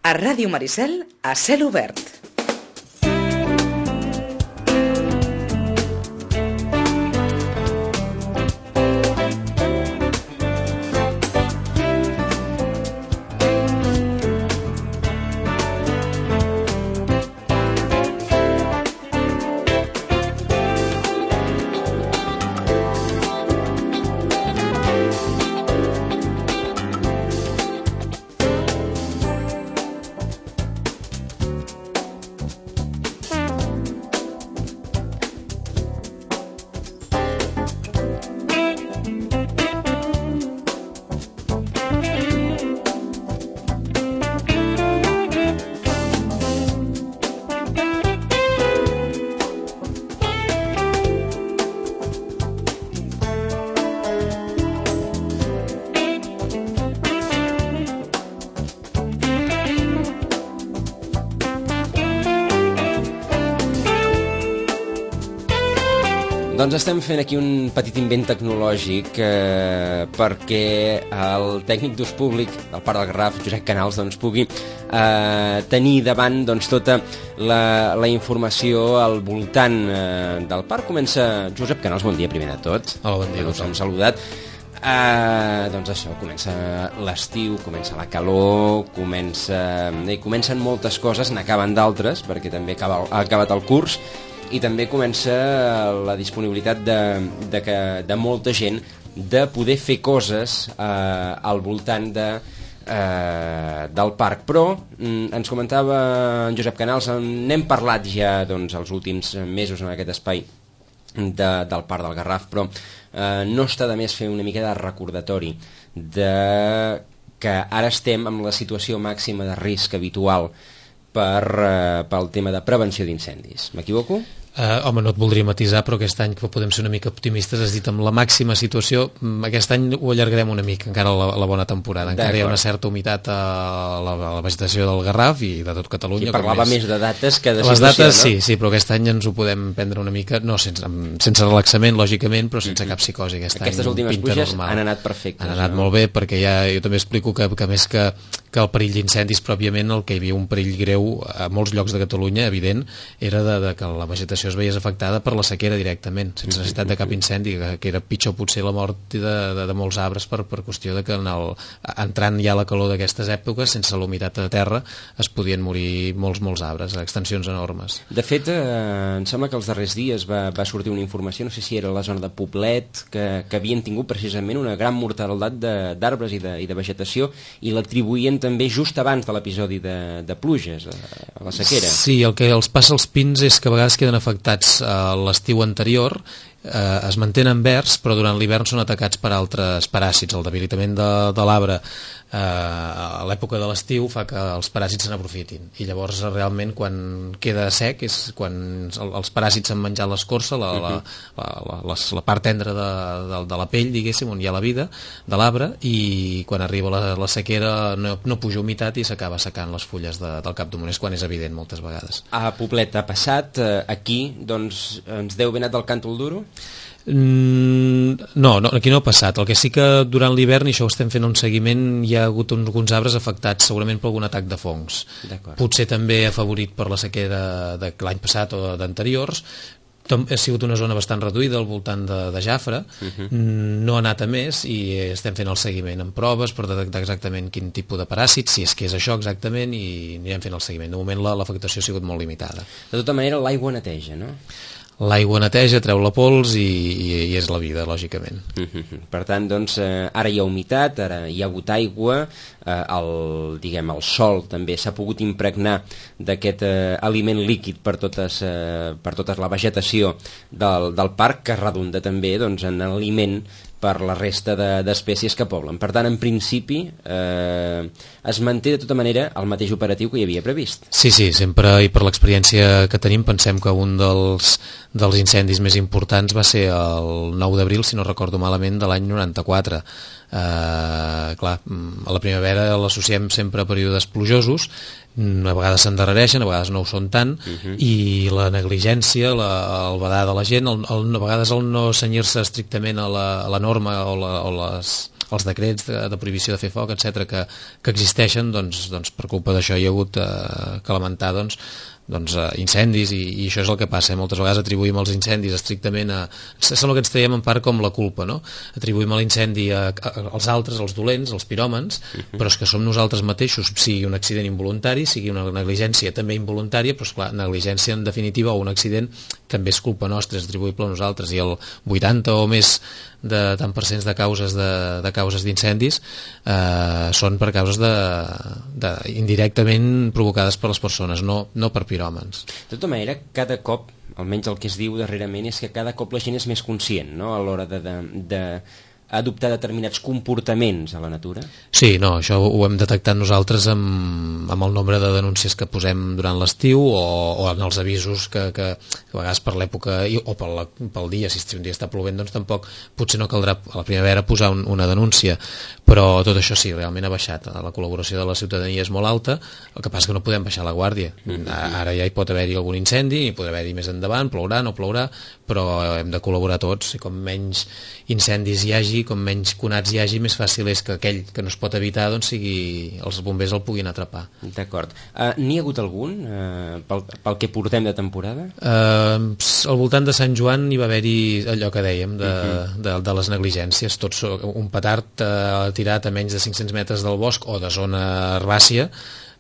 A Ràdio Maricel, a cel obert. Doncs estem fent aquí un petit invent tecnològic perquè el tècnic d'ús públic del Parc del Garraf, Josep Canals, doncs, pugui tenir davant doncs, tota la informació al voltant del parc. Comença... Josep Canals, bon dia, primer de tot. Hola, bon dia. Us hem saludat. Doncs això, comença l'estiu, comença la calor, comencen moltes coses, n'acaben d'altres, perquè també ha acabat el curs, i també comença la disponibilitat de molta gent de poder fer coses al voltant del parc. Però ens comentava en Josep Canals, n'hem parlat ja doncs, els últims mesos en aquest espai del Parc del Garraf, però no està de més fer una mica de recordatori que ara estem amb la situació màxima de risc habitual pel tema de prevenció d'incendis. M'equivoco? Home, no et voldria matisar, però aquest any que podem ser una mica optimistes, has dit amb la màxima situació. Aquest any ho allargarem una mica, encara la bona temporada. Encara hi ha una certa humitat a la vegetació del Garraf i de tot Catalunya. I parlava més de dates que de les situació, dates, no? Sí, però aquest any ens ho podem prendre una mica, no sense relaxament, lògicament, però sense cap psicosi. Aquestes últimes pluges han anat perfectes. Han anat molt bé, perquè jo també explico que més que el perill d'incendis pròpiament, el que hi havia un perill greu a molts llocs de Catalunya, evident, era que la vegetació es veiés afectada per la sequera directament, sense necessitat de cap incendi, que era pitjor potser la mort de molts arbres per qüestió de que entrant ja la calor d'aquestes èpoques, sense la humitat de terra, es podien morir molts arbres, a extensions enormes. De fet, em sembla que els darrers dies va sortir una informació, no sé si era a la zona de Poblet, que havien tingut precisament una gran mortalitat d'arbres i de vegetació, i l'atribuïen també just abans de l'episodi de pluges, a la sequera. Sí, el que els passa als pins és que a vegades queden afectats a l'estiu anterior, es mantenen verds, però durant l'hivern són atacats per altres paràsits. El debilitament de l'arbre a l'època de l'estiu fa que els paràsits se n'aprofitin, i llavors realment quan queda sec és quan els paràsits han menjat l'escorça, la part tendra de la pell, diguéssim, on hi ha la vida de l'arbre, i quan arriba la sequera no puja humitat i s'acaba secant les fulles del cap d'un mes, quan és evident moltes vegades. A Poblet ha passat, aquí doncs ens deu ben anat del càntol duro? No, aquí no ha passat. El que sí que durant l'hivern, i això ho estem fent un seguiment, hi ha hagut alguns arbres afectats segurament per algun atac de fongs. Potser també afavorit per la sequera de l'any passat o d'anteriors. Ha sigut una zona bastant reduïda al voltant de Jafre, no ha anat a més, i estem fent el seguiment amb proves per detectar exactament quin tipus de paràsits, si és que és això exactament, i anirem fent el seguiment. De moment l'afectació ha sigut molt limitada. De tota manera, l'aigua neteja, no? L'aigua neteja, treu la pols i és la vida, lògicament. Per tant, doncs, ara hi ha humitat, ara hi ha hagut aigua, el sol també s'ha pogut impregnar d'aquest aliment líquid per tota la vegetació del parc, que redunda també doncs, en aliment per la resta d'espècies que poblen. Per tant, en principi, es manté de tota manera el mateix operatiu que hi havia previst. Sí, sempre, i per l'experiència que tenim, pensem que un dels incendis més importants va ser el 9 d'abril, si no recordo malament, de l'any 94. Clar, a la primavera l'associem sempre a períodes plujosos, a vegades s'endarrereixen, a vegades no ho són tant, i la negligència, el badar de la gent, a vegades el no cenyir-se estrictament a la norma o els decrets de prohibició de fer foc, etc que existeixen, doncs per culpa d'això hi ha hagut que lamentar incendis i això és el que passa, moltes vegades atribuïm els incendis estrictament sembla que ens traiem en part com la culpa, no? Atribuïm l'incendi als altres, als dolents, als piròmans, però és que som nosaltres mateixos, sigui un accident involuntari, sigui una negligència també involuntària, però esclar, negligència en definitiva o un accident també és culpa nostra, és atribuïble a nosaltres, i el 80 o més de tant % de causes d'incendis són per causes indirectament provocades per les persones, no per piròmans. De tota manera, cada cop, almenys el que es diu darrerament, és que cada cop la gent és més conscient, no?, a l'hora de adoptar determinats comportaments a la natura. Sí, no, això ho hem detectat nosaltres amb el nombre de denúncies que posem durant l'estiu o en els avisos que a vegades per l'època o pel dia, si un dia està plovent, doncs tampoc potser no caldrà a la primavera posar una denúncia, però tot això sí, realment ha baixat, la col·laboració de la ciutadania és molt alta, el que passa que no podem baixar la guàrdia. Ara ja hi pot haver-hi algun incendi, hi pot haver-hi més endavant, plourà, no plourà, però hem de col·laborar tots, i com menys incendis hi hagi, com menys conats hi hagi, més fàcil és que aquell que no es pot evitar, doncs els bombers el puguin atrapar. D'acord. N'hi ha hagut algun pel que portem de temporada? Al voltant de Sant Joan hi va haver-hi allò que dèiem de les negligències, tots un petard tirat a menys de 500 metres del bosc o de zona herbàcia,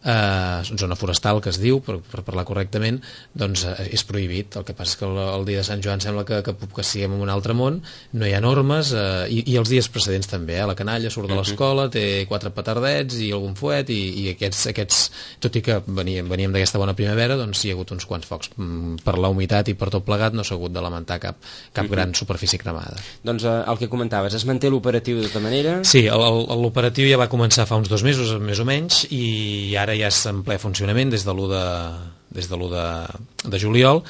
zona forestal que es diu, per parlar correctament, doncs és prohibit. El que passa és que el dia de Sant Joan sembla que siguem en un altre món, no hi ha normes, i els dies precedents també, la canalla surt de l'escola, té 4 petardets i algun fuet, i aquests, tot i que veníem d'aquesta bona primavera, doncs hi ha hagut uns quants focs. Per la humitat i per tot plegat no s'ha hagut de lamentar cap gran superfície cremada. doncs el que comentaves, es manté l'operatiu de tota manera? Sí, l'operatiu ja va començar fa uns 2 mesos més o menys, i ara ja és en ple funcionament des de l'1 de juliol,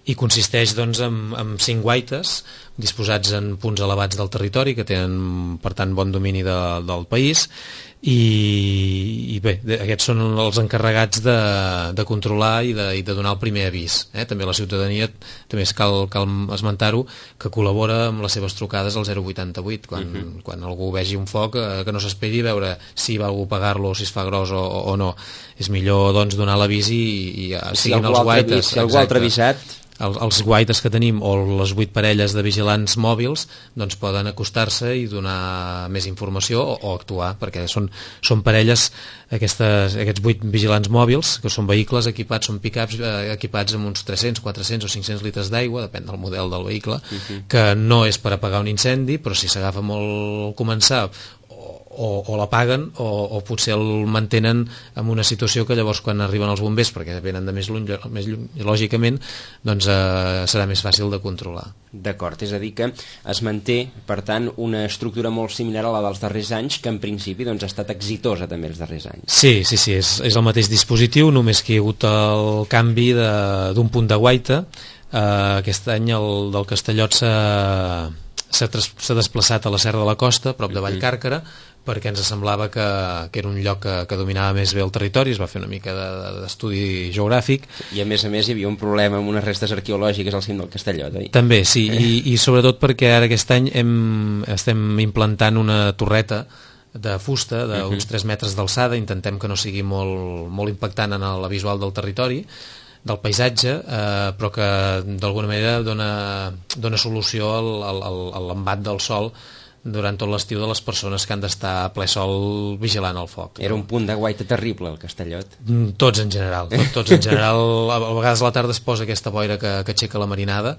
i consisteix doncs en 5 guaites disposats en punts elevats del territori que tenen per tant bon domini del país, i bé, aquests són els encarregats de controlar i de donar el primer avís. També la ciutadania, també cal esmentar-ho, que col·labora amb les seves trucades al 088 quan algú vegi un foc, que no s'esperi a veure si va algú pagar-lo o si es fa gros o no. És millor doncs donar l'avís i siguin els guaites. Si algú altre avisat, els guaites que tenim o les 8 parelles de vigilants mòbils doncs poden acostar-se i donar més informació o actuar, perquè són parelles, aquests 8 vigilants mòbils, que són vehicles equipats, són pick-ups equipats amb uns 300, 400 o 500 litres d'aigua, depèn del model del vehicle, que no és per apagar un incendi, però si s'agafa molt al començar o l'apaguen o potser el mantenen en una situació que llavors quan arriben els bombers, perquè venen de més lluny, lògicament, doncs serà més fàcil de controlar. D'acord, és a dir que es manté, per tant, una estructura molt similar a la dels darrers anys, que en principi doncs, ha estat exitosa també els darrers anys. Sí, és el mateix dispositiu, només que hi ha hagut el canvi d'un punt de guaita. Aquest any el del Castellot s'ha desplaçat a la Serra de la Costa, prop de Vallcàrquera, perquè ens semblava que era un lloc que dominava més bé el territori, es va fer una mica d'estudi geogràfic. I a més hi havia un problema amb unes restes arqueològiques al cim del Castellot, oi? També, sí, i sobretot perquè ara aquest any estem implantant una torreta de fusta d'uns 3 metres d'alçada, intentem que no sigui molt impactant en la visual del territori, del paisatge, però que d'alguna manera dona solució a l'embat del sol durant tot l'estiu de les persones que han d'estar a ple sol vigilant el foc. Era un punt de guaita terrible, el Castellot. Tots en general. Tots en general. A vegades a la tarda es posa aquesta boira que aixeca la marinada,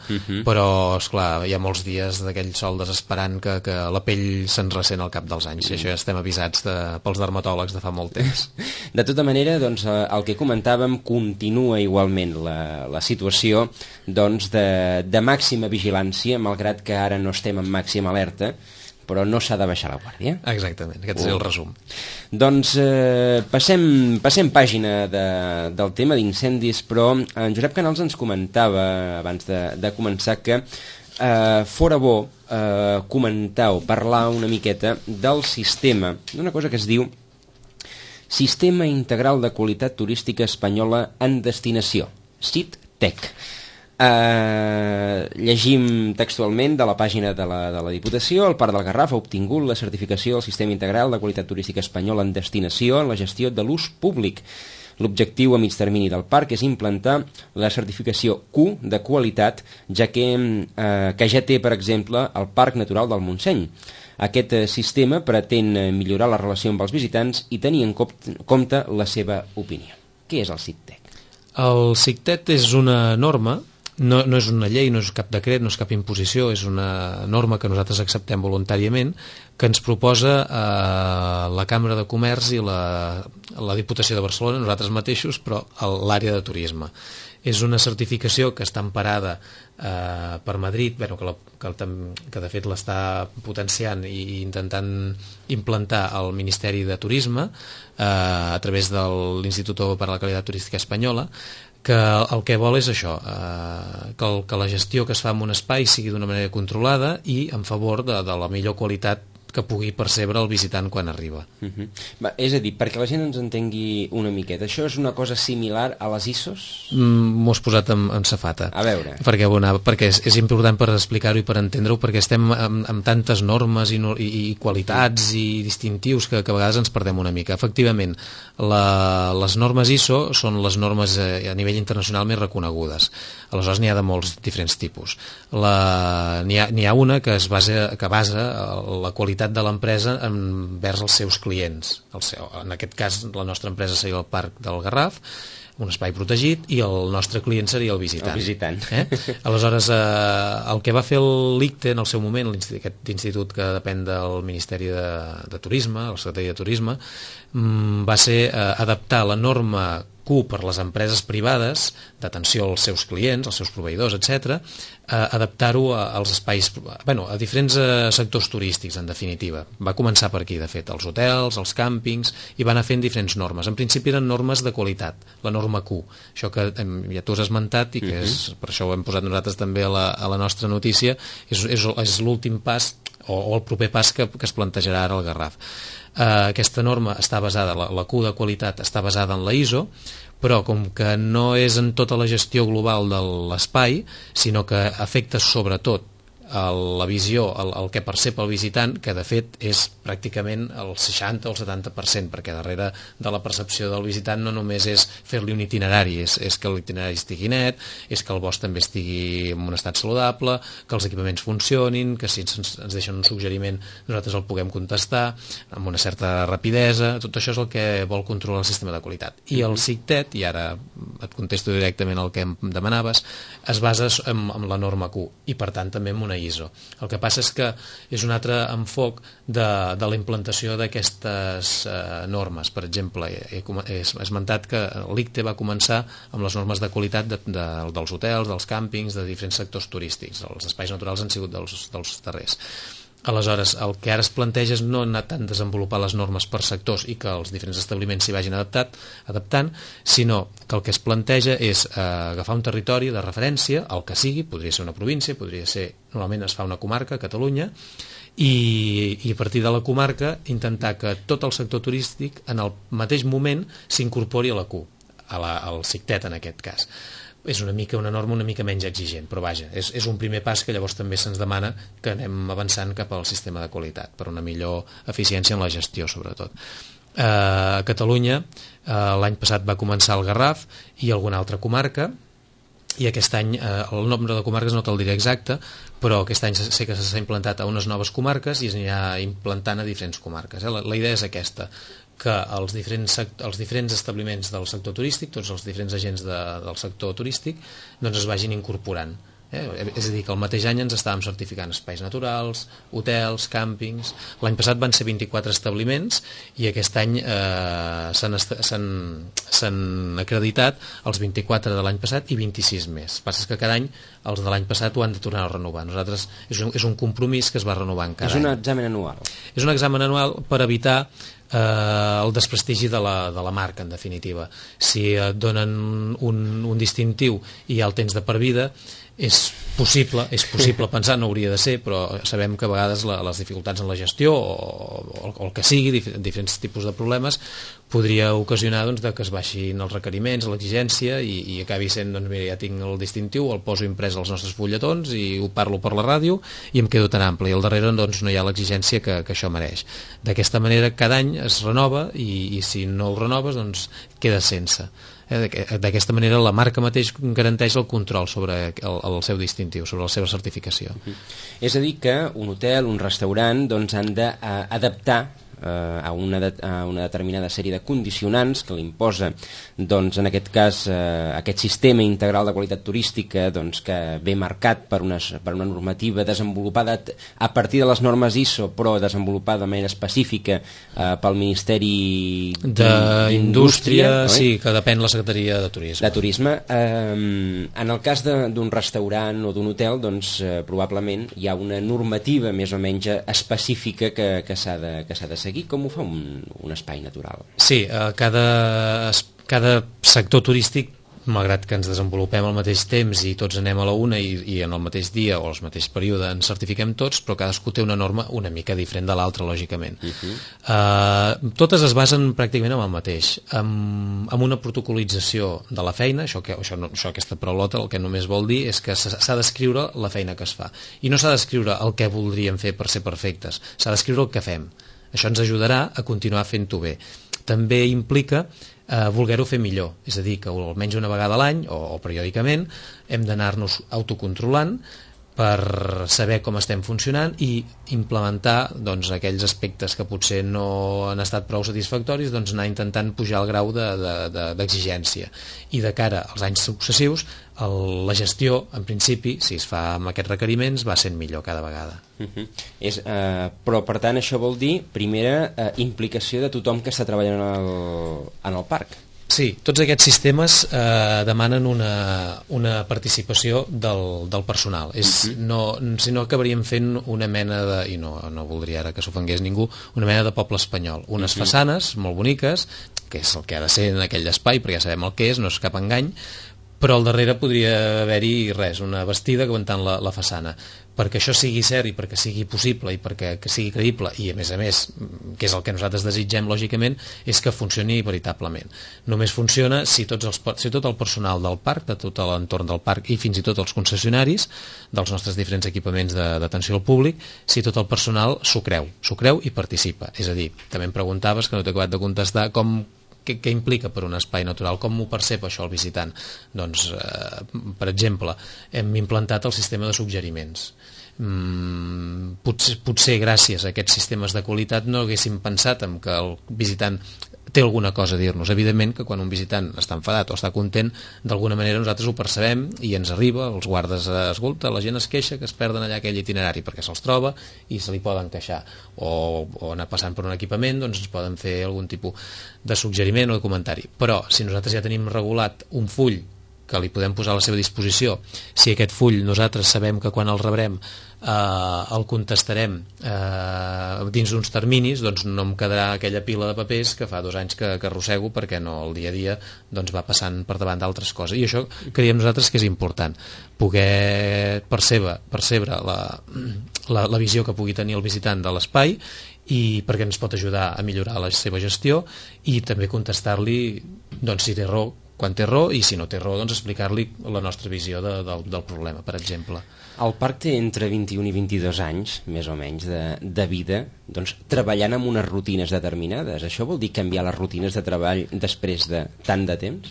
però, esclar, hi ha molts dies d'aquell sol desesperant que la pell se'n ressent al cap dels anys. I això ja estem avisats pels dermatòlegs de fa molt temps. De tota manera, doncs, el que comentàvem, continua igualment la situació doncs, de màxima vigilància, malgrat que ara no estem en màxima alerta, però no s'ha de baixar la guàrdia. Exactament, aquest és el resum. Doncs passem pàgina del tema d'incendis, però en Josep Canals ens comentava abans de començar que fora bo comentar o parlar una miqueta del sistema, d'una cosa que es diu Sistema Integral de Qualitat Turística Espanyola en Destinació, SITTEC. Llegim textualment de la pàgina de la Diputació. El Parc del Garraf ha obtingut la certificació del Sistema Integral de Qualitat Turística Espanyol en destinació en la gestió de l'ús públic. L'objectiu a mig termini del parc és implantar la certificació Q de qualitat, ja que ja té, per exemple, el Parc Natural del Montseny. Aquest sistema pretén millorar la relació amb els visitants i tenir en compte la seva opinió. Què és el CICTEC? El CICTEC és una norma, no és una llei, no és cap decret, no és cap imposició, és una norma que nosaltres acceptem voluntàriament, que ens proposa la Cambra de Comerç i la Diputació de Barcelona, nosaltres mateixos, però l'àrea de turisme. És una certificació que està emparada per Madrid, que de fet l'està potenciant i intentant implantar el Ministeri de Turisme a través de l'Institut per a la Qualitat Turística Espanyola, que el que vol és això, que la gestió que es fa en un espai sigui d'una manera controlada i en favor de la millor qualitat que pugui percebre el visitant quan arriba. És a dir, perquè la gent ens entengui una miqueta, això és una cosa similar a les ISOs? M'ho has posat en safata. A veure. Perquè és important per explicar-ho i per entendre-ho, perquè estem amb tantes normes i qualitats i distintius que a vegades ens perdem una mica. Efectivament, les normes ISO són les normes a nivell internacional més reconegudes. Aleshores n'hi ha de molts diferents tipus. N'hi ha una que basa la qualitat de l'empresa envers els seus clients. En aquest cas, la nostra empresa seria el Parc del Garraf, un espai protegit, i el nostre client seria el visitant. El visitant. Aleshores, el que va fer l'ICTE en el seu moment, aquest institut que depèn del Ministeri de Turisme, la Secretaria de Turisme, va ser adaptar la norma Q per les empreses privades d'atenció als seus clients, als seus proveïdors, etc., adaptar-ho als espais, a diferents sectors turístics, en definitiva. Va començar per aquí, de fet, els hotels, els càmpings, i va anar fent diferents normes. En principi eren normes de qualitat, la norma Q, això que ja tu has esmentat i que per això ho hem posat nosaltres també a la nostra notícia, és l'últim pas o el proper pas que es plantejarà ara al Garraf. Aquesta norma està basada, la Q de qualitat està basada en la ISO, però com que no és en tota la gestió global de l'espai, sinó que afecta sobretot la visió, el que percep el visitant, que de fet és pràcticament el 60 o el 70%, perquè darrere de la percepció del visitant no només és fer-li un itinerari, és que l'itinerari estigui net, és que el bosc també estigui en un estat saludable, que els equipaments funcionin, que si ens deixen un suggeriment nosaltres el puguem contestar amb una certa rapidesa. Tot això és el que vol controlar el sistema de qualitat. I el CICTEC, i ara et contesto directament el que em demanaves, es basa en la norma Q i per tant també en una ISO. El que passa és que és un altre enfoc de la implantació d'aquestes normes. Per exemple, he esmentat que l'ICTE va començar amb les normes de qualitat dels hotels, dels càmpings, de diferents sectors turístics. Els espais naturals han sigut dels darrers. Aleshores, el que ara es planteja és no anar tant a desenvolupar les normes per sectors i que els diferents establiments s'hi vagin adaptant, sinó que el que es planteja és agafar un territori de referència, el que sigui, podria ser una província, normalment es fa una comarca, Catalunya, i a partir de la comarca intentar que tot el sector turístic en el mateix moment s'incorpori a la Q, al CICTEC en aquest cas. És una norma una mica menys exigent, però vaja, és un primer pas que llavors també se'ns demana que anem avançant cap al sistema de qualitat, per una millor eficiència en la gestió, sobretot. A Catalunya, l'any passat va començar el Garraf i alguna altra comarca, i aquest any el nombre de comarques no te'l diré exacte, però aquest any sé que s'ha implantat a unes noves comarques i es anirà implantant a diferents comarques. La idea és aquesta, que els diferents establiments del sector turístic, tots els diferents agents del sector turístic, doncs es vagin incorporant. És a dir, que el mateix any ens estàvem certificant espais naturals, hotels, càmpings. L'any passat van ser 24 establiments i aquest any s'han acreditat els 24 de l'any passat i 26 més. El que passa és que cada any els de l'any passat ho han de tornar a renovar. Nosaltres és un compromís que es va renovant cada any. És un examen anual. És un examen anual per evitar el desprestigi de la marca, en definitiva. Si et donen un distintiu i ja el tens de per vida, és és possible pensar, no hauria de ser, però sabem que a vegades les dificultats en la gestió o el que sigui, diferents tipus de problemes, podria ocasionar doncs, que es baixin els requeriments, l'exigència i acabi sent, doncs mira, ja tinc el distintiu, el poso imprès als nostres fulletons i ho parlo per la ràdio i em quedo tan ample, i al darrere doncs, no hi ha l'exigència que això mereix. D'aquesta manera cada any es renova i si no el renoves doncs queda sense. D'aquesta manera la marca mateix garanteix el control sobre el seu distintiu, sobre la seva certificació. És a dir que un hotel, un restaurant doncs han d'adaptar a una determinada sèrie de condicionants que l'imposa, doncs, en aquest cas aquest sistema integral de qualitat turística doncs, que ve marcat per una normativa desenvolupada a partir de les normes ISO, però desenvolupada de manera específica pel Ministeri d'Indústria, sí, que depèn la Secretaria de Turisme. En el cas d'un restaurant o d'un hotel, doncs probablement hi ha una normativa més o menys específica que s'ha de seguir. Com ho fa un espai natural? Sí, cada sector turístic, malgrat que ens desenvolupem al mateix temps i tots anem a la una i en el mateix dia o al mateix període ens certifiquem tots, però cadascú té una norma una mica diferent de l'altra, lògicament. Totes es basen pràcticament en el mateix, amb una protocolització de la feina. Aquesta paraulota el que només vol dir és que s'ha d'escriure la feina que es fa, i no s'ha d'escriure el que voldríem fer per ser perfectes, s'ha d'escriure el que fem. Això ens ajudarà a continuar fent-ho bé. També implica voler-ho fer millor, és a dir, que almenys una vegada a l'any o periòdicament hem d'anar-nos autocontrolant per saber com estem funcionant i implementar doncs, aquells aspectes que potser no han estat prou satisfactoris, doncs anar intentant pujar el grau d'exigència. I de cara als anys successius, la gestió, en principi, si es fa amb aquests requeriments, va sent millor cada vegada. Però, per tant, això vol dir, primera, implicació de tothom que està treballant en el parc. Sí, tots aquests sistemes demanen una participació del personal. Si no acabaríem fent una mena de, i no voldria ara que s'ofengués ningú, una mena de poble espanyol. Unes façanes molt boniques, que és el que ha de ser en aquell espai, perquè ja sabem el que és, no és cap engany, però al darrere podria haver-hi una bastida aguantant la façana. Perquè això sigui cert i perquè sigui possible i perquè sigui creïble i a més, que és el que nosaltres desitgem lògicament, és que funcioni veritablement. Només funciona si tot el personal del parc, de tot l'entorn del parc i fins i tot els concessionaris dels nostres diferents equipaments d'atenció al públic, si tot el personal s'ho creu i participa. És a dir, també em preguntaves, que no t'he acabat de contestar, què implica per un espai natural, com ho percep això el visitant? Doncs, per exemple, hem implantat el sistema de suggeriments. Potser gràcies a aquests sistemes de qualitat no haguéssim pensat en que el visitant té alguna cosa a dir-nos. Evidentment que quan un visitant està enfadat o està content, d'alguna manera nosaltres ho percebem i ens arriba, els guardes, escolta, la gent es queixa que es perden allà aquell itinerari perquè se'ls troba i se li poden queixar, o anar passant per un equipament, doncs ens poden fer algun tipus de suggeriment o de comentari. Però si nosaltres ja tenim regulat un full que li podem posar a la seva disposició, si aquest full nosaltres sabem que quan el rebrem el contestarem dins d'uns terminis, doncs no em quedarà aquella pila de papers que fa 2 anys que arrossego perquè no, el dia a dia doncs va passant per davant d'altres coses, i això creiem nosaltres que és important, poder percebre la visió que pugui tenir el visitant de l'espai, i perquè ens pot ajudar a millorar la seva gestió i també contestar-li doncs, si té raó quan té raó, i si no té raó doncs explicar-li la nostra visió del problema, per exemple. El parc té entre 21 i 22 anys, més o menys, de vida, doncs treballant amb unes rutines determinades. Això vol dir canviar les rutines de treball després de tant de temps?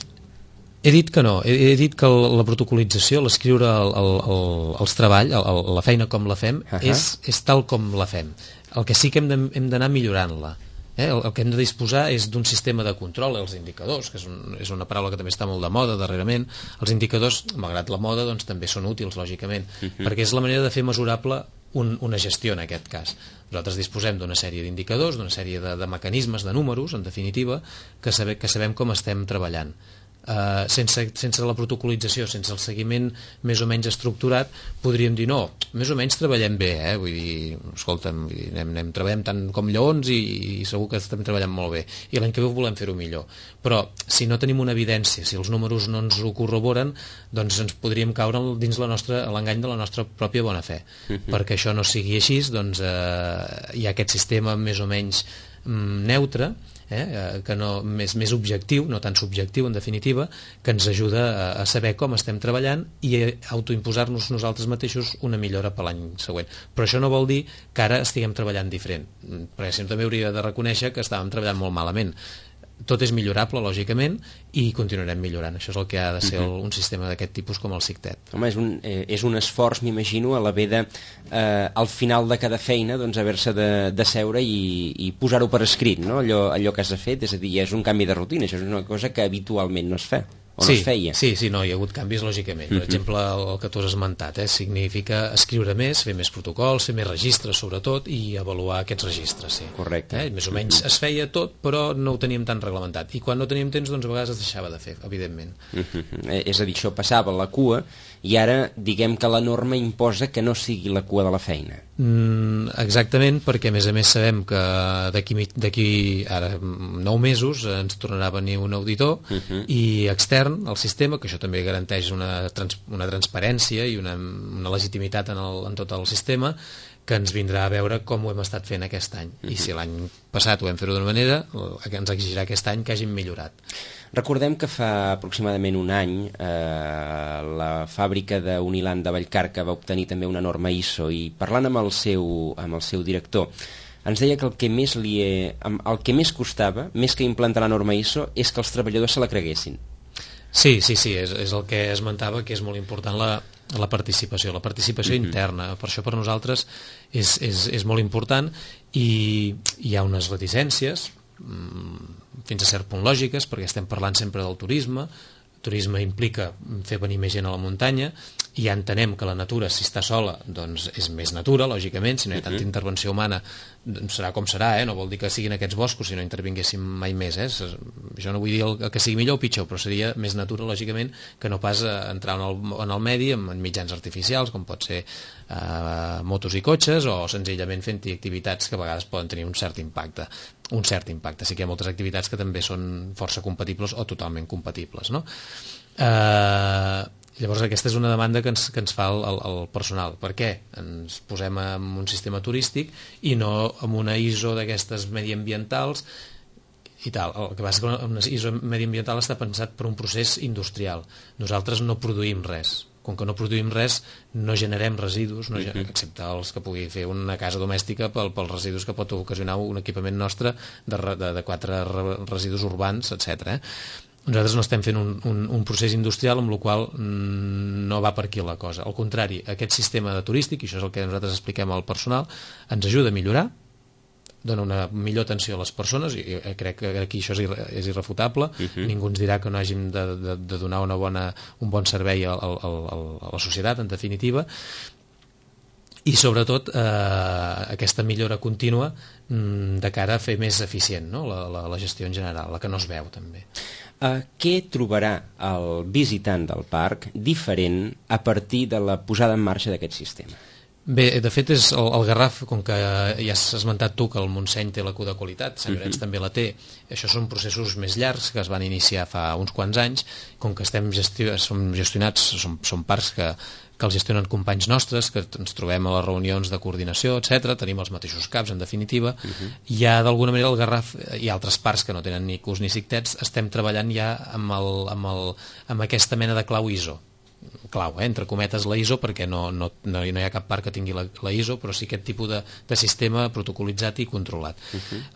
He dit que no, he dit que la protocolització, l'escriure els treballs, la feina com la fem, és tal com la fem. El que sí que hem d'anar millorant-la. El que hem de disposar és d'un sistema de control, els indicadors, que és una paraula que també està molt de moda darrerament. Els indicadors, malgrat la moda, doncs, també són útils, lògicament, perquè és la manera de fer mesurable una gestió en aquest cas. Nosaltres disposem d'una sèrie d'indicadors, d'una sèrie de mecanismes, de números, en definitiva, que sabem com estem treballant. sense la protocolització, sense el seguiment més o menys estructurat, podríem dir no, més o menys treballem bé, vull dir, escolta'm, treballem tant com lleons i segur que estem treballant molt bé, i l'any que ve volem fer-ho millor, però si no tenim una evidència, si els números no ens ho corroboren, doncs ens podríem caure dins l'engany de la nostra pròpia bona fe. Perquè això no sigui així, doncs hi ha aquest sistema més o menys neutre, que no, més objectiu, no tan subjectiu en definitiva, que ens ajuda a saber com estem treballant i a autoimposar-nos nosaltres mateixos una millora per l'any següent. Però això no vol dir que ara estiguem treballant diferent, perquè si no també hauria de reconèixer que estàvem treballant molt malament. Tot és millorable, lògicament, i continuarem millorant. Això és el que ha de ser un sistema d'aquest tipus com el SICTET. Home, és un esforç, m'imagino, a l'haver de, al final de cada feina, doncs, haver-se de seure i posar-ho per escrit, no? Allò que has fet, és a dir, és un canvi de rutina, això és una cosa que habitualment no es fa. No es feia. Sí, no, hi ha hagut canvis lògicament. Per exemple, el que tu has esmentat, significa escriure més, fer més protocols, fer més registres sobretot i avaluar aquests registres. Sí. Correcte. Més o menys es feia tot, però no ho teníem tan reglamentat. I quan no teníem temps, doncs a vegades es deixava de fer, evidentment. És a dir, això passava a la cua i ara diguem que la norma imposa que no sigui la cua de la feina. Exactament, perquè a més sabem que d'aquí ara 9 mesos ens tornarà a venir un auditor i extern al sistema, que això també garanteix una transparència i una legitimitat en tot el sistema, que ens vindrà a veure com ho hem estat fent aquest any. I si l'any passat ho hem fet d'una manera, ens exigirà aquest any que hàgim millorat. Recordem que fa aproximadament un any la fàbrica d'Uniland de Vallcarca va obtenir també una norma ISO, i parlant amb el seu director ens deia que el que més costava, més que implantar la norma ISO, és que els treballadors se la creguessin. Sí, és el que esmentava, que és molt important la participació interna. Per això per nosaltres és molt important, i hi ha unes reticències fins a cert punt lògiques, perquè estem parlant sempre del turisme. El turisme implica fer venir més gent a la muntanya, i ja entenem que la natura, si està sola, doncs és més natura, lògicament. Si no hi ha tanta intervenció humana, serà com serà, no vol dir que siguin aquests boscos si no intervinguéssim mai més. Jo no vull dir que sigui millor o pitjor, però seria més natura, lògicament, que no pas entrar en el medi amb mitjans artificials, com pot ser motos i cotxes, o senzillament fent-hi activitats que a vegades poden tenir un cert impacte. Sí que hi ha moltes activitats que també són força compatibles o totalment compatibles, no? Llavors aquesta és una demanda que ens fa el personal. Per què ens posem en un sistema turístic i no en una ISO d'aquestes mediambientals i tal? El que passa és que una ISO mediambiental està pensat per un procés industrial. Nosaltres no produïm res. Com que no produïm res, no generem residus, excepte els que pugui fer una casa domèstica pels residus que pot ocasionar un equipament nostre de 4 residus urbans, etc. Nosaltres no estem fent un procés industrial, amb la qual no va per aquí la cosa. Al contrari, aquest sistema turístic, i això és el que nosaltres expliquem al personal, ens ajuda a millorar, dona una millor atenció a les persones, i crec que aquí això és irrefutable. Ningú ens dirà que no hàgim de donar un bon servei a la societat, en definitiva, i sobretot aquesta millora contínua de cara a fer més eficient, no? la gestió en general, la que no es veu també. Què trobarà el visitant del parc diferent a partir de la posada en marxa d'aquest sistema? Bé, de fet és el Garraf, com que ja has esmentat tu que el Montseny té la Q de qualitat, Sant Llorenç també la té. Això són processos més llargs que es van iniciar fa uns quants anys. Com que som gestionats, som parcs que els gestionen companys nostres, que ens trobem a les reunions de coordinació, etc. Tenim els mateixos caps, en definitiva. Ja d'alguna manera el Garraf i altres parcs que no tenen ni CUs ni SICTETs estem treballant ja amb aquesta mena de clau ISO. Entre cometes la ISO, perquè no hi ha cap parc que tingui la ISO, però sí aquest tipus de sistema protocolitzat i controlat.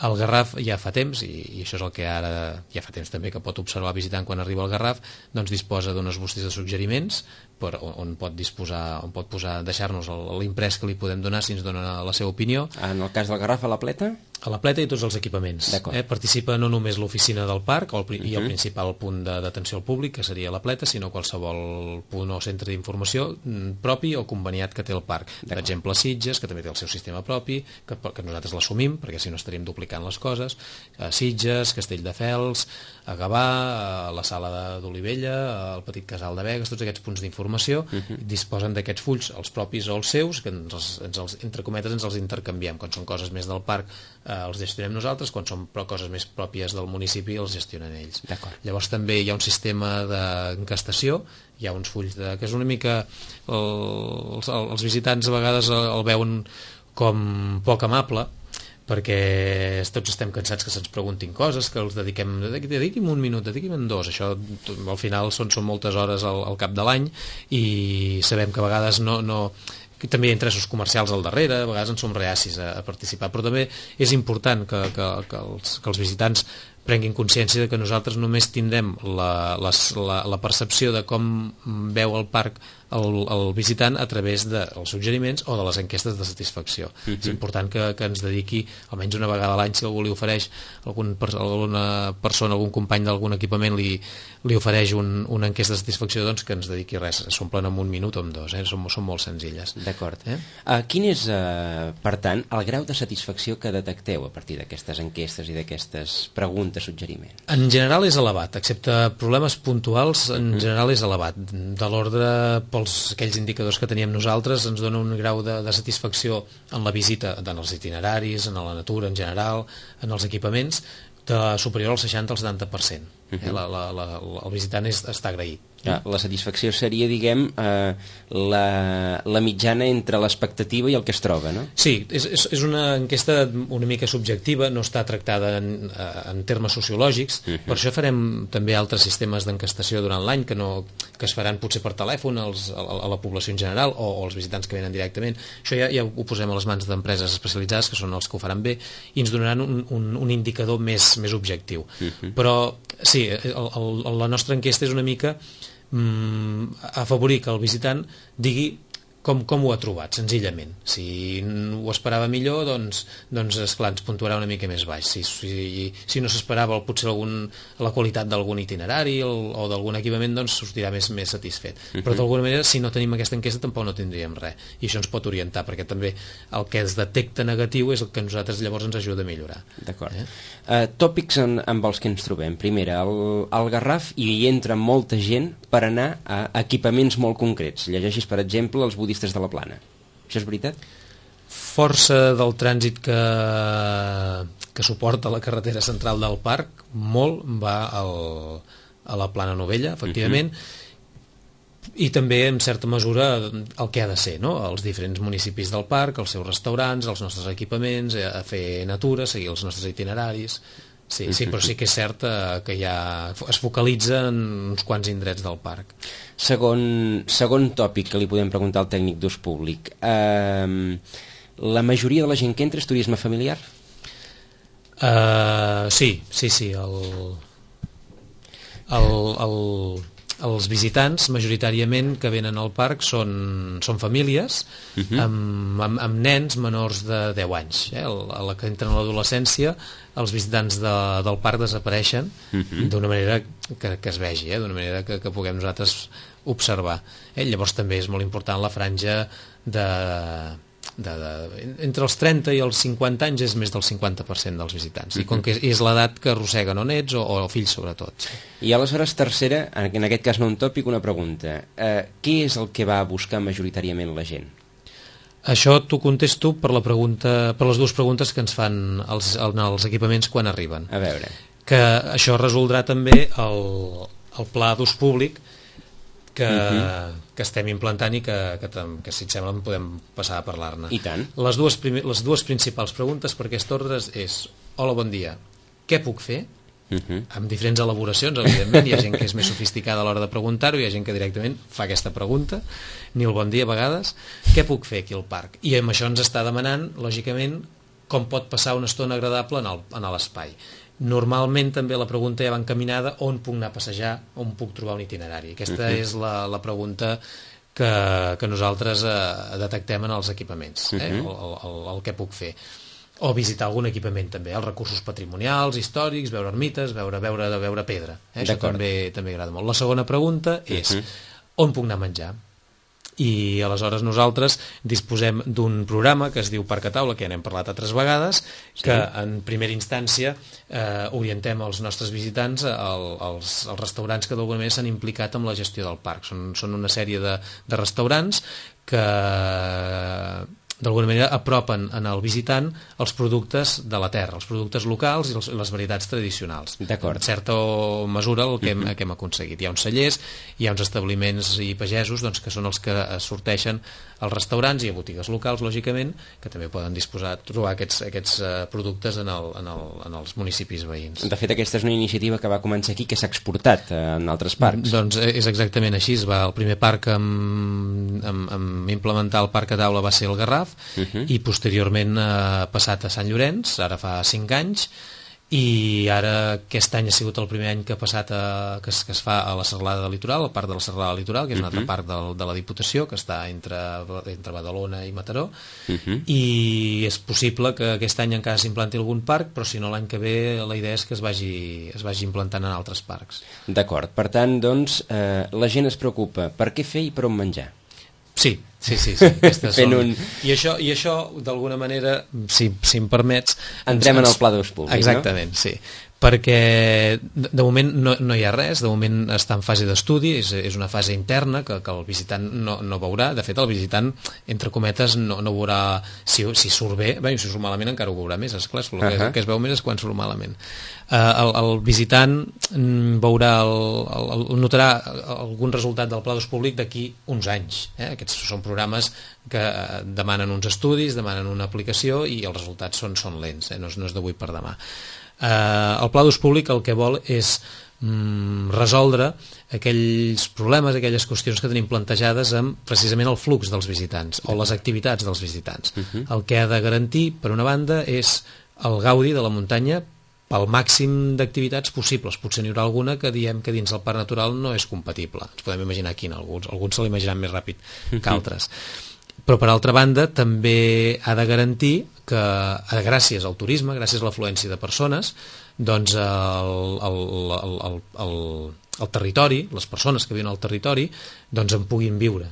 El Garraf ja fa temps, i això és el que ara ja fa temps també que pot observar el visitant quan arriba al Garraf, doncs disposa d'unes bustes de suggeriments on pot deixar-nos l'imprès que li podem donar si ens dona la seva opinió. En el cas del Garraf, a la Pleta? A la pleta i tots els equipaments. Participa no només l'oficina del parc i el principal punt d'atenció al públic, que seria la pleta, sinó qualsevol punt o centre d'informació propi o conveniat que té el parc. Per exemple, Sitges, que també té el seu sistema propi, que nosaltres l'assumim, perquè si no estaríem duplicant les coses. Sitges, Castelldefels, a Gavà, a la Sala d'Olivella, al Petit Casal de Begues, tots aquests punts d'informació disposen d'aquests fulls, els propis o els seus, que entre cometes ens els intercanviem. Quan són coses més del parc els gestionem nosaltres, quan són coses més pròpies del municipi els gestionen ells. Llavors també hi ha un sistema d'encastació, hi ha uns fulls que és una mica els visitants a vegades el veuen com poc amable, perquè tots estem cansats que se'ns preguntin coses, que els dediquem un minut, dediquem dos. Això al final són moltes hores al cap de l'any i sabem que a vegades que també hi ha interessos comercials al darrere, a vegades en som reacis a participar, però també és important que els visitants prenguin consciència de que nosaltres només tindrem la percepció de com veu el parc el visitant a través dels suggeriments o de les enquestes de satisfacció. És important que ens dediqui almenys una vegada a l'any, si algú li ofereix, alguna persona, algun company d'algun equipament li ofereix una enquesta de satisfacció, doncs que ens dediqui res, s'omplen en un minut o en dos, són molt senzilles. D'acord. Quin és, per tant, el grau de satisfacció que detecteu a partir d'aquestes enquestes i d'aquestes preguntes, suggeriments? En general és elevat, excepte problemes puntuals, en general és elevat. De l'ordre, aquells indicadors que teníem nosaltres, ens dona un grau de satisfacció en la visita, en els itineraris, en la natura en general, en els equipaments, superior al 60 al 70%. El visitant està agraït. La satisfacció seria, diguem, la mitjana entre l'expectativa i el que es troba, no? Sí, és una enquesta una mica subjectiva, no està tractada en termes sociològics, per això farem també altres sistemes d'enquestació durant l'any que es faran potser per telèfon a la població en general o als visitants que venen directament. Això ja ho posem a les mans d'empreses especialitzades, que són els que ho faran bé, i ens donaran un indicador més objectiu. Però sí, la nostra enquesta és una mica afavorir que el visitant digui com ho ha trobat, senzillament. Si ho esperava millor, doncs esclar, ens puntuarà una mica més baix. Si no s'esperava potser la qualitat d'algun itinerari o d'algun equipament, doncs sortirà més satisfet. Però d'alguna manera, si no tenim aquesta enquesta, tampoc no tindríem res. I això ens pot orientar, perquè també el que es detecta negatiu és el que a nosaltres llavors ens ajuda a millorar. D'acord. Tòpics amb els que ens trobem. Primera, al Garraf hi entra molta gent per anar a equipaments molt concrets. Llegeixis, per exemple, els budistes de la Plana. Això és veritat? Força del trànsit que suporta la carretera central del parc, molt va a la Plana Novella, efectivament, i també en certa mesura el que ha de ser, no? Els diferents municipis del parc, els seus restaurants, els nostres equipaments, a fer natura, seguir els nostres itineraris. Sí, però sí que és cert que ja es focalitza en uns quants indrets del parc. Segon tòpic que li podem preguntar al tècnic d'ús públic. La majoria de la gent que entra és turisme familiar? Sí. Els visitants majoritàriament que venen al parc són famílies amb nens menors de 10 anys. A la que entren a l'adolescència, els visitants del parc desapareixen d'una manera que es vegi, d'una manera que puguem nosaltres observar. Llavors també és molt important la franja entre els 30 i els 50 anys és més del 50% dels visitants, i com que és l'edat que arrosseguen o nets o fills sobretot. I aleshores, tercera, en aquest cas no un tòpic, una pregunta. Què és el que va a buscar majoritàriament la gent? Això t'ho contesto per les dues preguntes que ens fan els equipaments quan arriben. A veure. Que això resoldrà també el pla d'ús públic que estem implantant i que si et sembla podem passar a parlar-ne. I tant. Les dues principals preguntes per aquest ordre és: hola, bon dia, què puc fer? Amb diferents elaboracions, evidentment. Hi ha gent que és més sofisticada a l'hora de preguntar-ho, hi ha gent que directament fa aquesta pregunta, ni el bon dia a vegades. Què puc fer aquí al parc? I amb això ens està demanant, lògicament, com pot passar una estona agradable en l'espai. Normalment també la pregunta ja va encaminada: on puc anar a passejar, on puc trobar un itinerari. Aquesta és la pregunta que nosaltres detectem en els equipaments, el que puc fer. o visitar algun equipament també, els recursos patrimonials, històrics, veure ermites, veure pedra. Això també agrada molt. La segona pregunta és on puc anar a menjar? I aleshores nosaltres disposem d'un programa que es diu Parc a Taula, que ja n'hem parlat altres vegades, que en primera instància orientem els nostres visitants als restaurants que d'alguna manera s'han implicat amb la gestió del parc. Són una sèrie de restaurants que d'alguna manera apropen al visitant els productes de la terra, els productes locals i les varietats tradicionals. D'acord. En certa mesura el que hem aconseguit. Hi ha uns cellers, hi ha uns establiments i pagesos que són els que sorteixen als restaurants i a botigues locals, lògicament, que també poden trobar aquests productes en els municipis veïns. De fet, aquesta és una iniciativa que va començar aquí, que s'ha exportat en altres parcs. Doncs és exactament així. El primer parc en implementar el Parc a Taula va ser el Garraf, i posteriorment ha passat a Sant Llorenç, ara fa 5 anys, i ara aquest any ha sigut el primer any que ha passat que es fa a la Serralada Litoral, al Parc de la Serralada Litoral, que és un altre parc de la Diputació, que està entre Badalona i Mataró, i és possible que aquest any encara s'implanti algun parc, però si no l'any que ve la idea és que es vagi implantant en altres parcs. D'acord, per tant, doncs, la gent es preocupa per què fer i per on menjar. Sí. I això d'alguna manera, si em permets, entrem en el pla d'ús públic. Exactament, sí, perquè de moment no hi ha res, de moment està en fase d'estudi, és una fase interna que el visitant no veurà. De fet, el visitant, entre cometes, no veurà si surt bé. Si surt malament encara ho veurà més, esclar, el que es veu més és quan surt malament. El visitant notarà algun resultat del pla d'ús públic d'aquí uns anys. Aquests són programes que demanen uns estudis, demanen una aplicació, i els resultats són lents, no és d'avui per demà. El pla d'ús públic el que vol és resoldre aquells problemes, aquelles qüestions que tenim plantejades amb precisament el flux dels visitants o les activitats dels visitants. El que ha de garantir, per una banda, és el gaudi de la muntanya pel màxim d'activitats possibles. Potser n'hi haurà alguna que diem que dins el parc natural no és compatible. Ens podem imaginar quin, alguns se l'imaginaran més ràpid que altres. Però per altra banda també ha de garantir que gràcies al turisme, gràcies a l'afluència de persones, doncs el territori, les persones que viuen al territori, doncs en puguin viure.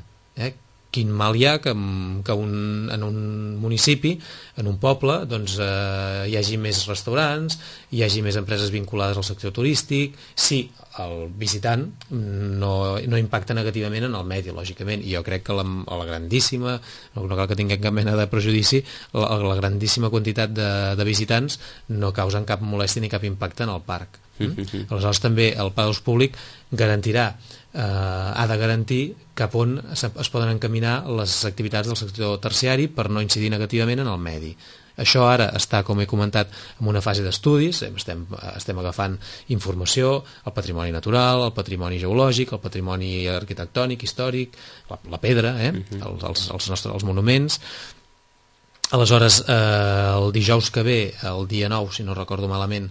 Quin mal hi ha que en un municipi, en un poble, doncs hi hagi més restaurants, hi hagi més empreses vinculades al sector turístic, si el visitant no impacta negativament en el medi, lògicament. I jo crec que la grandíssima, no cal que tinguem cap mena de prejudici, la grandíssima quantitat de visitants no causen cap molèstia ni cap impacte en el parc. Aleshores també el pla d'ús públic ha de garantir cap on es poden encaminar les activitats del sector terciari per no incidir negativament en el medi. Això ara està, com he comentat, en una fase d'estudis. Estem agafant informació, el patrimoni natural, el patrimoni geològic, el patrimoni arquitectònic, històric, la pedra, els monuments. Aleshores, el dijous que ve, el dia 9, si no recordo malament,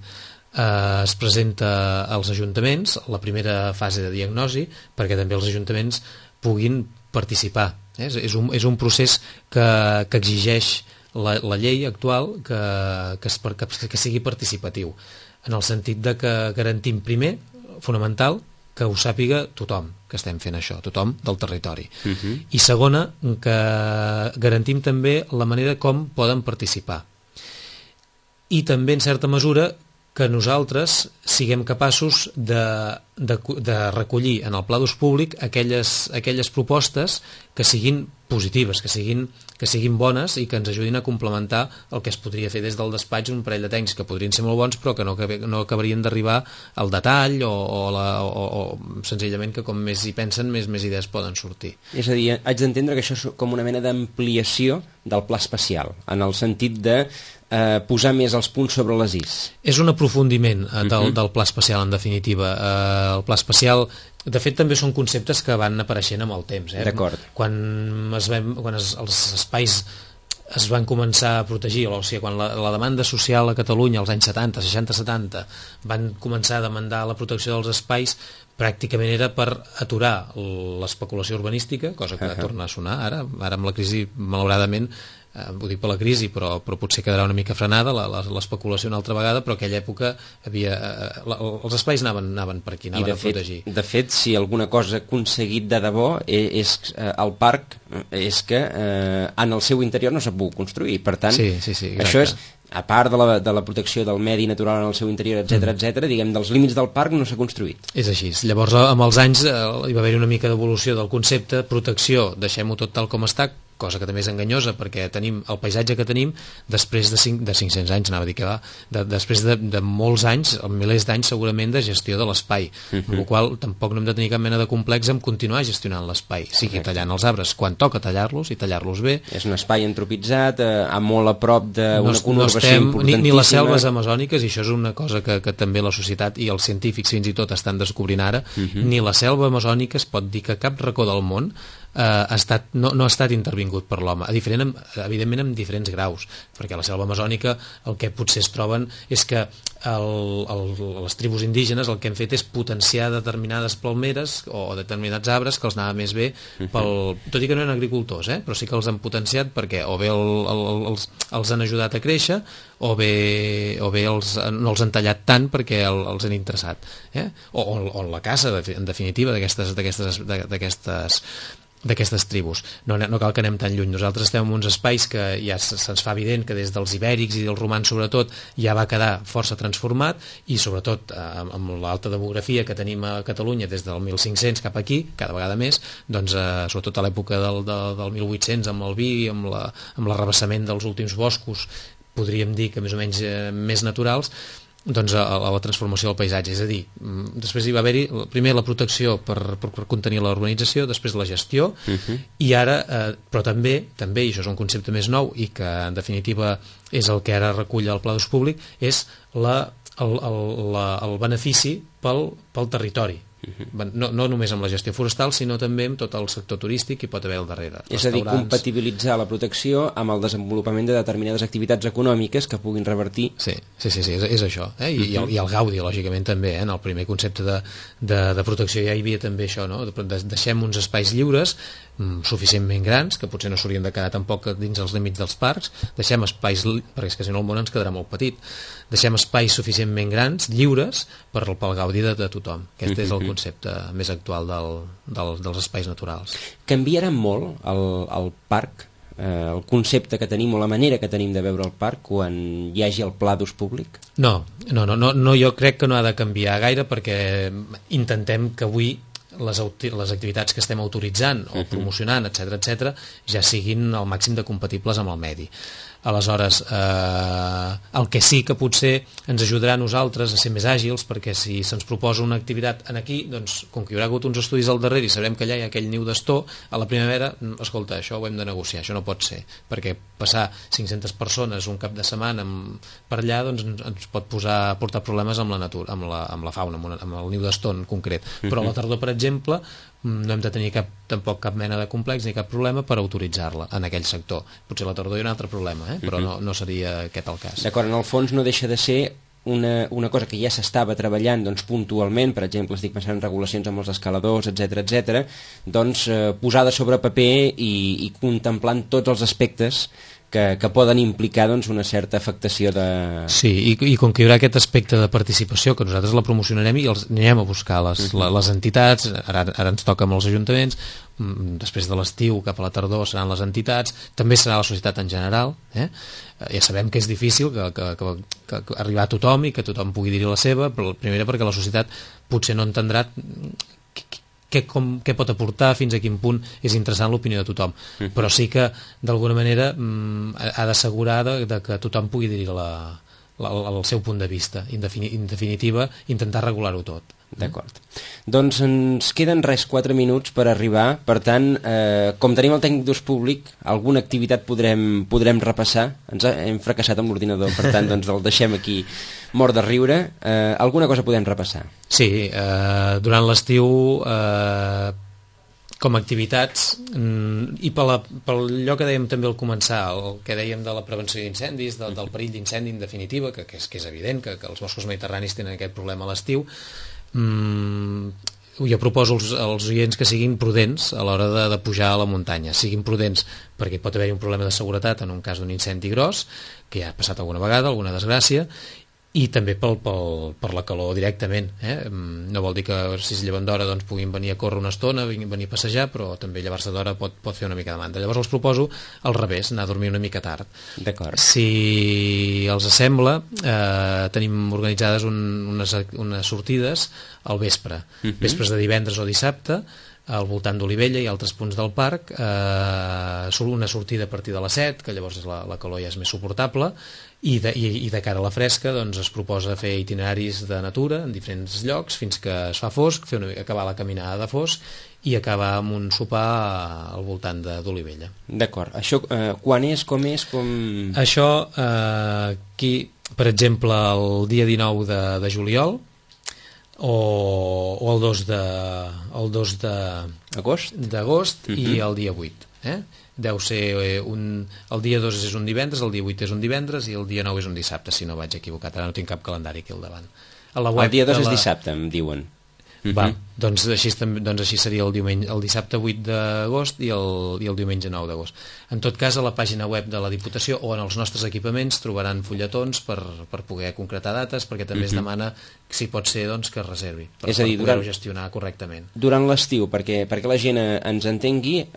es presenta als ajuntaments la primera fase de diagnosi, perquè també els ajuntaments puguin participar. És un procés que exigeix la llei actual que sigui participatiu, en el sentit de que garantim primer, fonamental, que ho sàpiga tothom que estem fent això, tothom del territori. I segona, que garantim també la manera com poden participar. I també, en certa mesura, que nosaltres siguem capaços de recollir en el pla d'ús públic aquelles propostes que siguin positives, que siguin bones i que ens ajudin a complementar el que es podria fer des del despatx, un parell de tècnics que podrien ser molt bons però que no acabarien d'arribar al detall o senzillament que com més hi pensen més idees poden sortir. És a dir, haig d'entendre que això és com una mena d'ampliació del pla especial, en el sentit de posar més els punts sobre les is. És un aprofundiment del pla especial, en definitiva. El pla especial, de fet, també són conceptes que van apareixent amb el temps. D'acord. Quan els espais es van començar a protegir, o sigui, quan la demanda social a Catalunya als anys 70, 60-70 van començar a demandar la protecció dels espais, pràcticament era per aturar l'especulació urbanística, cosa que torna a sonar ara amb la crisi, malauradament ho dic per la crisi, però potser quedarà una mica frenada l'especulació una altra vegada, però aquella època els espais anaven per aquí, anaven a protegir. De fet, si alguna cosa ha aconseguit de debò és el parc, és que en el seu interior no s'ha pogut construir, per tant, això és, a part de la protecció del medi natural en el seu interior, etc, diguem, dels límits del parc no s'ha construït. És així. Llavors, amb els anys hi va haver una mica d'evolució del concepte, protecció, deixem-ho tot tal com està, cosa que també és enganyosa, perquè tenim el paisatge que tenim després de 500 anys, anava a dir que va, després de molts anys, milers d'anys segurament de gestió de l'espai, amb la qual tampoc no hem de tenir cap mena de complex en continuar gestionant l'espai, sigui tallant els arbres quan toca tallar-los i tallar-los bé. És un espai antropitzat, molt a prop d'una conurbació importantíssima. Ni les selves amazòniques, i això és una cosa que també la societat i els científics fins i tot estan descobrint ara, ni la selva amazònica es pot dir que cap racó del món no ha estat intervingut per l'home, evidentment en diferents graus, perquè a la selva amazònica el que potser es troben és que les tribus indígenes el que han fet és potenciar determinades palmeres o determinats arbres que els anava més bé, tot i que no eren agricultors, però sí que els han potenciat perquè o bé els han ajudat a créixer o bé no els han tallat tant perquè els han interessat, o la caça, en definitiva, d'aquestes tribus. No cal que anem tan lluny. Nosaltres estem en uns espais que ja se'ns fa evident que des dels ibèrics i dels romans sobretot ja va quedar força transformat, i sobretot amb l'alta demografia que tenim a Catalunya des del 1500 cap aquí, cada vegada més, doncs sobretot a l'època del 1800 amb el vi, amb l'arrabassament dels últims boscos, podríem dir que més o menys més naturals, doncs a la transformació del paisatge, és a dir, després hi va haver-hi primer la protecció per contenir la urbanització, després la gestió, i ara, però també, i això és un concepte més nou i que en definitiva és el que ara recull el Pla d'Ús Públic, és el benefici pel territori. No només amb la gestió forestal, sinó també amb tot el sector turístic que hi pot haver al darrere. És a dir, compatibilitzar la protecció amb el desenvolupament de determinades activitats econòmiques que puguin revertir. Sí, és això. I el gaudi, lògicament, també. En el primer concepte de protecció ja hi havia també això, no? Deixem uns espais lliures suficientment grans, que potser no s'haurien de quedar tampoc dins els límits dels parcs, deixem espais, perquè és que si no el món ens quedarà molt petit, deixem espais suficientment grans, lliures, pel gaudi de tothom. Aquest és el concepte més actual dels espais naturals. Canviarà molt el parc, el concepte que tenim o la manera que tenim de veure el parc quan hi hagi el pla d'ús públic? No, jo crec que no ha de canviar gaire, perquè intentem que avui les activitats que estem autoritzant o promocionant, etc, ja siguin al màxim de compatibles amb el medi. Aleshores, el que sí que potser ens ajudarà a nosaltres a ser més àgils, perquè si se'ns proposa una activitat aquí, doncs, com que hi haurà hagut uns estudis al darrere i sabrem que allà hi ha aquell niu d'astor, a la primavera, escolta, això ho hem de negociar, això no pot ser, perquè passar 500 persones un cap de setmana per allà doncs, ens pot portar problemes amb la natura, amb la fauna, amb el niu d'astor en concret. Però a la tardor, per exemple, no hem de tenir tampoc cap mena de complex ni cap problema per autoritzar-la en aquell sector. Potser a la tardor hi ha un altre problema, però no seria aquest el cas. D'acord, en el fons no deixa de ser una cosa que ja s'estava treballant doncs, puntualment, per exemple, estic pensant en regulacions amb els escaladors, etc, doncs posada sobre paper i contemplant tots els aspectes que poden implicar doncs, una certa afectació de... Sí, i com que hi haurà aquest aspecte de participació, que nosaltres la promocionarem i els anirem a buscar les entitats, ara ens toca amb els ajuntaments, després de l'estiu cap a la tardor seran les entitats, també serà la societat en general, ja sabem que és difícil que arribar a tothom i que tothom pugui dir la seva, però primera perquè la societat potser no entendrà què pot aportar, fins a quin punt és interessant l'opinió de tothom, però sí que d'alguna manera ha d'assegurar que tothom pugui dir el seu punt de vista, en definitiva intentar regular-ho tot. D'acord. Doncs ens queden 4 minuts per arribar, per tant, com tenim el tècnic d'ús públic, alguna activitat podrem repassar. Hem fracassat amb l'ordinador, per tant, doncs el deixem aquí mort de riure. Alguna cosa podem repassar? Sí, durant l'estiu com a activitats i per allò que dèiem també al començar, el que dèiem de la prevenció d'incendis, del perill d'incendi en definitiva, que és evident que els boscos mediterranis tenen aquest problema a l'estiu, jo proposo als oients que siguin prudents a l'hora de pujar a la muntanya, siguin prudents perquè pot haver-hi un problema de seguretat en un cas d'un incendi gros, que ja ha passat alguna vegada, alguna desgràcia, i també per la calor directament, no vol dir que si es lleven d'hora doncs puguin venir a córrer una estona, venir a passejar, però també llevar-se d'hora pot fer una mica de mandra. Llavors els proposo al revés, anar a dormir una mica tard. D'acord. Si els sembla, tenim organitzades unes sortides al vespre, vespres de divendres o dissabte, al voltant d'Olivella i altres punts del parc, una sortida a partir de les 7, que llavors la calor ja és més suportable, i de cara a la fresca doncs, es proposa fer itineraris de natura en diferents llocs fins que es fa fosc, acabar la caminada de fosc i acabar amb un sopar al voltant d'Olivella. D'acord. Això quan és, com és, com... Això, aquí, per exemple, el dia 19 de juliol, o el 2 d'agost i el dia 8, deu ser el dia 2 és un divendres, el dia 8 és un divendres i el dia 9 és un dissabte, si no vaig equivocat, ara no tinc cap calendari aquí al davant. El dia 2 és dissabte, em diuen. Doncs així seria el dissabte 8 d'agost i el diumenge 9 d'agost. En tot cas, a la pàgina web de la Diputació o en els nostres equipaments trobaran fulletons per poder concretar dates, perquè també es demana, si pot ser, doncs, que es reservi per poder-ho gestionar correctament. Durant l'estiu, perquè la gent ens entengui,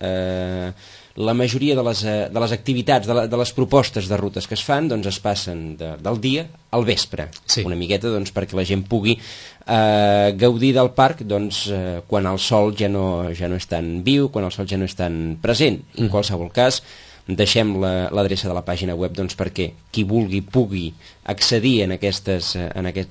la majoria de les activitats, de les propostes de rutes que es fan, doncs es passen del dia al vespre, una miqueta doncs, perquè la gent pugui gaudir del parc doncs, quan el sol ja no és tan viu, quan el sol ja no és tan present. En qualsevol cas, deixem l'adreça de la pàgina web doncs, perquè qui vulgui pugui accedir en aquest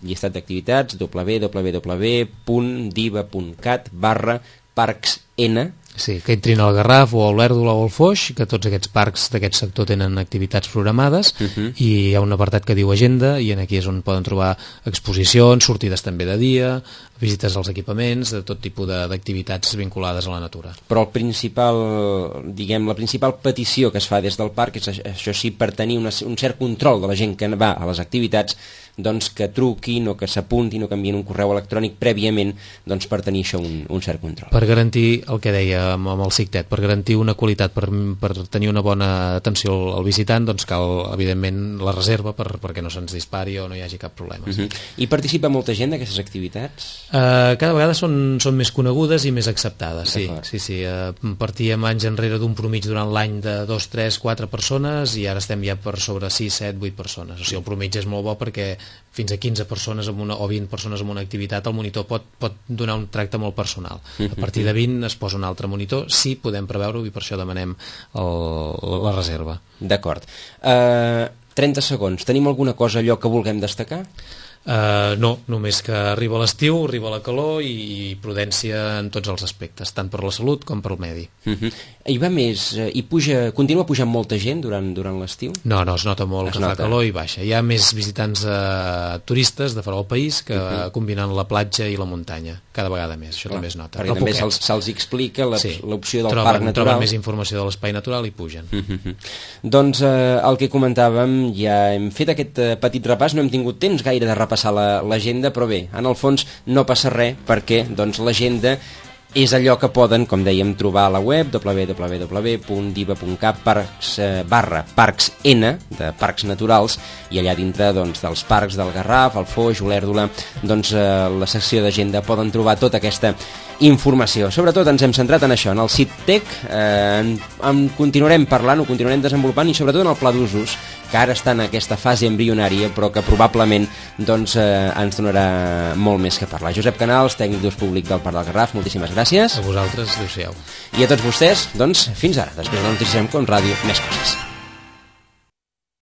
llistat d'activitats, www.diva.cat/parcsn. Sí, que entrin al Garraf o a l'Olèrdola o al Foix, que tots aquests parcs d'aquest sector tenen activitats programades, i hi ha un apartat que diu agenda, i aquí és on poden trobar exposicions, sortides també de dia, visites als equipaments, de tot tipus d'activitats vinculades a la natura. Però la principal petició que es fa des del parc és, això sí, per tenir un cert control de la gent que va a les activitats, doncs que truquin o que s'apuntin o que envien un correu electrònic prèviament doncs per tenir això un cert control. Per garantir el que deia amb el CICTET, per garantir una qualitat, per tenir una bona atenció al visitant, doncs cal, evidentment, la reserva perquè no se'ns dispari o no hi hagi cap problema. I participa molta gent d'aquestes activitats? Cada vegada són més conegudes i més acceptades, sí. Partíem anys enrere d'un promig durant l'any de 2, 3, 4 persones i ara estem ja per sobre 6, 7, 8 persones. O sigui, el promig és molt bo perquè fins a 15 persones o 20 persones en una activitat el monitor pot donar un tracte molt personal. A partir de 20 es posa un altre monitor, sí, podem preveure-ho i per això demanem la reserva. D'acord. 30 segons. Tenim alguna cosa allò que vulguem destacar? No, només que arriba l'estiu, arriba la calor i prudència en tots els aspectes, tant per la salut com per el medi. Hi va més, continua pujant molta gent durant l'estiu? No, es nota molt que fa calor i baixa. Hi ha més visitants turistes de fora del país que combinen la platja i la muntanya, cada vegada més, això també es nota. Perquè també se'ls explica l'opció del parc natural. Troben més informació de l'espai natural i pugen. Doncs el que comentàvem, ja hem fet aquest petit repàs, no hem tingut temps gaire de repassar l'agenda, però bé, en el fons no passa res perquè doncs, l'agenda és allò que poden, com dèiem, trobar a la web www.diva.cat/parcsn de parcs naturals, i allà dintre doncs, dels parcs del Garraf, el Foix, Olèrdola, doncs la secció d'agenda poden trobar tota aquesta informació. Sobretot ens hem centrat en això, en el CICTEC, en continuarem parlant, ho continuarem desenvolupant, i sobretot en el pla d'usos, que ara està en aquesta fase embrionària, però que probablement doncs, ens donarà molt més que parlar. Josep Canals, tècnic d'ús públic del Parc del Garraf, moltíssimes gràcies. A vosaltres, adéu-siau. I a tots vostès, doncs, fins ara. Després de la notícia amb Com Ràdio, més coses.